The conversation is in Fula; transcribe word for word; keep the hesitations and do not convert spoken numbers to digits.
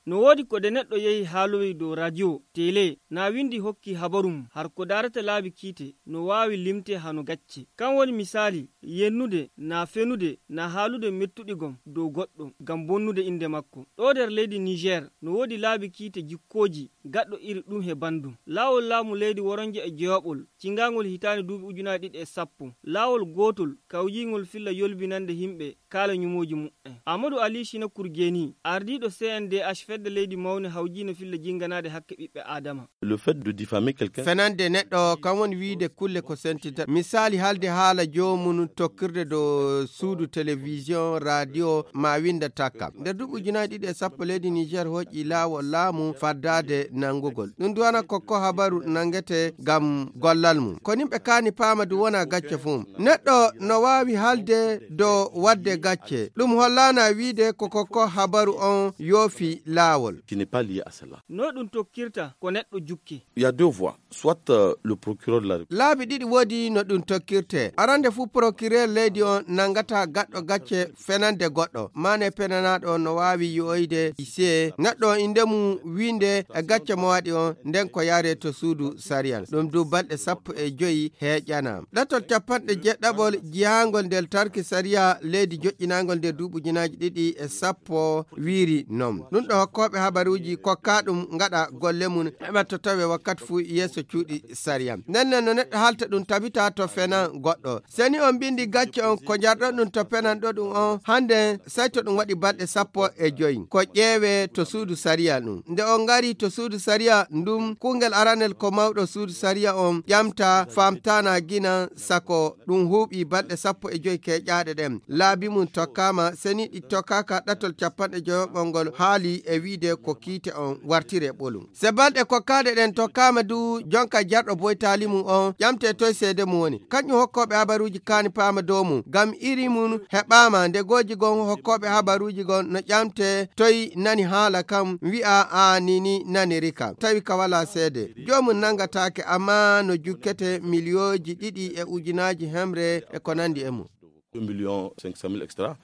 No woodi ko de neɗɗo yehi haalowi dow radio, tele, na windi hokki habaru mum, har ko daarata laabi kiite, no waawi limte hano gacce. Kan woni misaali, yennude, na fenude, na haalude mettuɗi gom dow goɗɗo, ngam bonnude innde makko. Ɗo nder leydi Niger, no woodi laabi kiite jikkooji, gaɗɗo iri ɗum he banndum. Laawol laamu leydi woronje e jeewaɓol, cingaangol hitaande duuɓi ujunaaji ɗiɗi e sappo. Laawol gootol, kawjiingol filla yolbinande yimɓe, kaala ñumooji muɓɓen. Amadou Ali Sina Kurgeni, ardiiɗo C N D H fedde leydi mawne hawjiino filla jinganaade hakke ɓiɓɓe Aadama. Le fait de diffamer quelqu'un. Fenande neɗɗo, kan woni wiide kulle ko sentita. Misaali haalde haala joomum tokkirde dow suudu télévision, radio, ma winda takka. Nder duuɓi ujunaaji ɗiɗi e sappo leydi Niger hoƴƴi laawol laamu faddaade nanngugol. Ɗum duwana ko ko habaru nanngete ngam gollal mum. Ko nimɓe kaani paama du wona gacce fuu. Neɗɗo no waawi haalde dow waɗde gacce. Ɗum hollaana wiide ko ko ko habaru on yoofi laawol. Qui n'est pas lié à cela. No ɗum tokkirta ko neɗɗo jukke. Il y a deux voies. Soit, euh, le procureur de la République. Laabi ɗiɗi woodi no ɗum tokkirte. Arande fuu procureur leydi on nanngata gaɗɗo gacce fenande goɗɗo. Maane penanaaɗo on no waawi yi'oyde se neɗɗo on innde mum wiinde e gacce mo waɗi on, nden ko yaare to suudu sariya. Ɗum du balɗe sappo e joyi heeƴana. Ɗatol capanɗe jeeɗaɓol jihaangol nder tarki sariya leydi joƴƴinaangol nder duuɓi ujunaaji ɗiɗi e sappo wiiri non. Ɗum ɗo hokkooɓe habaruuji kokkaa ɗum ngaɗa golle mum heɓa to tawe wakkati fuu yeeso cuuɗi sariya. Nden nden no neɗɗo haalta ɗum tabita to fenan goɗɗo. Seni on mbindi gacce on ko njarɗon ɗum to penan ɗo ɗum on hannde sey to ɗum waɗi balɗe sappo e joyi. Ko ƴeewe to suudu sariya ɗum. Nde on ngari to suudu sariya ndum, kuungel aranel ko mawɗo suudu sariya on ƴamta faamtaana gina sako ɗum huuɓi balɗe sappo e joyi keeƴaaɗe ɗen. Laabi mum tokkaama, seni ɗi tokkaaka ɗatol capanɗe joyoɓol ngol haali e wiide ko kiite on wartire ɓolum. Se balɗe kokkaaɗe ɗen tokkaama du, jonka jarɗo boytaali mum on ƴamte toy seede mum woni. Kanƴum hokkooɓe habaruuji kaani paama dow mum, ngam iri mum heɓaama nde gooji gon hokkooɓe habaruuji gon no ƴamte toy nani haala kam wi'a a nini nani rika. Tawi ka walaa seede. Joomum nanngataake, amma no jukkete miliyooji ɗiɗi e ujunaaji hemre e ko nanndi e mum. Deux millions cinq cent mille, et cetera.